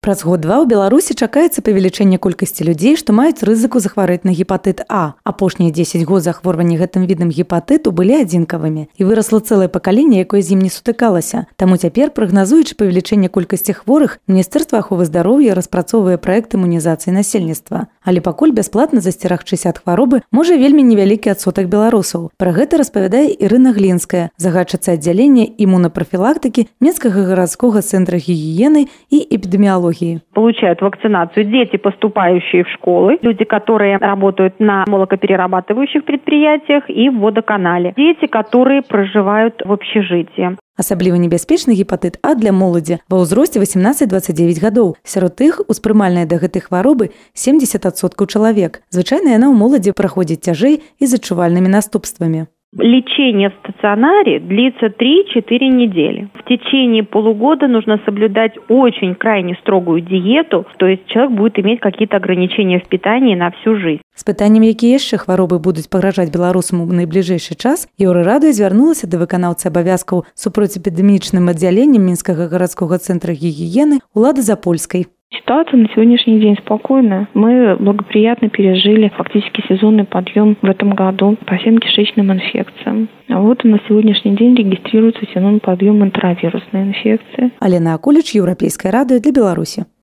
Праз год-два ў Беларусі чакаецца павелічэнне колькасці людзей, што маюць рызыку захварэць на гепатыт А. Апошнія 10 год захворвання гэтым відам гепатыту былі адзінкавымі. І вырасла цэлае пакаленне, якое з ім не сутыкалася. Таму цяпер, прагназуючы павелічэнне колькасці хворых, Міністэрства аховы здароўя распрацоўвае праект імунізацыі насельніцтва. Але пакуль бясплатна засцерагчыся ад хваробы можа вельмі невялікі адсотак беларусаў. Пра гэта распавядае Ірына Глінская, загадчыца аддзялення імунапрафілактыкі Менскага гарадскога цэнтра гігіены і эпідэміялогіі. Получают вакцинацию дети, поступающие в школы, люди, которые работают на молокоперерабатывающих предприятиях и в водоканале, дети, которые проживают в общежитии. Асабліва небяспечны гепатыт А для моладзі ва ўзросце 18-29 гадоў. Сярод іх успрымальная да гэтай хваробы 70% чалавек. Звычайна яна ў моладзі праходзіць цяжэй і з адчувальнымі наступствамі. Лечение в стационаре длится 3-4 недели. В течение полугода нужно соблюдать очень крайне строгую диету, то есть человек будет иметь какие-то ограничения в питании на всю жизнь. З пытаннем, якія яшчэ хваробы будуць пагражаць беларусам у найбліжэйшы час, Еўрарадыё звярнулася да выканаўцы абавязкаў супроцьэпідэмічным аддзяленнем Мінскага гарадскога цэнтра гігіены Улады Запольскай. Ситуация на сегодняшний день спокойная. Мы благоприятно пережили фактически сезонный подъем в этом году по всем кишечным инфекциям. А вот на сегодняшний день регистрируется сезонный подъем энтеровирусной инфекции. Алена Акуліч, Еўрапейскае радыё для Беларусі.